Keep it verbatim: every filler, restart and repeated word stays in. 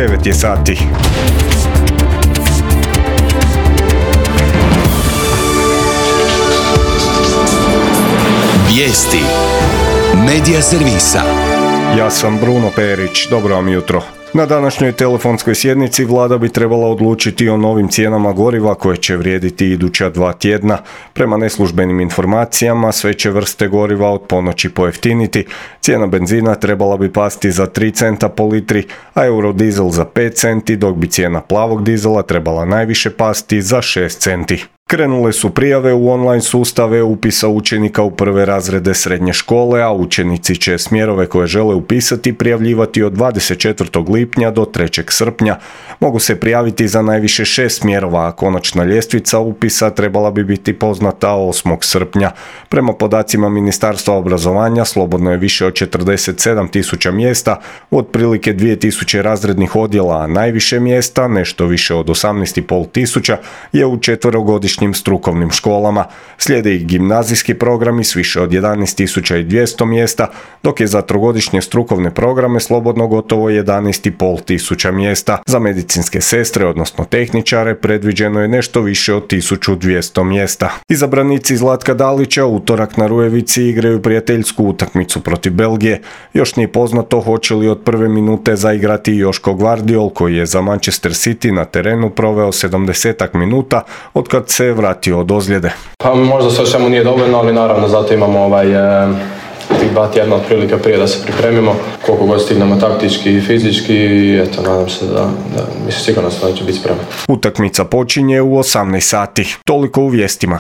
devet je sati. Vijesti Medija servisa. Ja sam Bruno Perić, dobro vam jutro. Na današnjoj telefonskoj sjednici vlada bi trebala odlučiti o novim cijenama goriva koje će vrijediti iduća dva tjedna. Prema neslužbenim informacijama sve će vrste goriva od ponoći pojeftiniti. Cijena benzina trebala bi pasti za tri centa po litri, a eurodizel za pet centi, dok bi cijena plavog dizela trebala najviše pasti za šest centi. Krenule su prijave u online sustave upisa učenika u prve razrede srednje škole, a učenici će smjerove koje žele upisati prijavljivati od dvadeset četvrtog lipnja do trećeg srpnja. Mogu se prijaviti za najviše šest smjerova, a konačna ljestvica upisa trebala bi biti poznata osmog srpnja. Prema podacima Ministarstva obrazovanja slobodno je više od četrdeset sedam tisuća mjesta, u otprilike dvije tisuće razrednih odjela, a najviše mjesta, nešto više od osamnaest i pol tisuća, je u četverogodišnjim strukovnim školama. Slijede i gimnazijski programi s više od jedanaest tisuća dvjesto mjesta, dok je za trogodišnje strukovne programe slobodno gotovo jedanaest i pol tisuća mjesta. Za medicinske sestre, odnosno tehničare, predviđeno je nešto više od tisuću dvjesto mjesta. Izabranici Zlatka Dalića utorak na Rujevici igraju prijateljsku utakmicu protiv Belgije. Još nije poznato hoće li od prve minute zaigrati Joško Gvardiol, koji je za Manchester City na terenu proveo sedamdesetak minuta otkad se vratio od ozljede. Pa možda sve svemu nije dovoljno, ali naravno zato imamo ovaj, e, tih dva tjedna otprilike prije da se pripremimo, koliko god stignemo taktički i fizički, i eto, nadam se da, da mislim sigurno da će biti spremni. Utakmica počinje u osamnaest sati. Toliko u vijestima.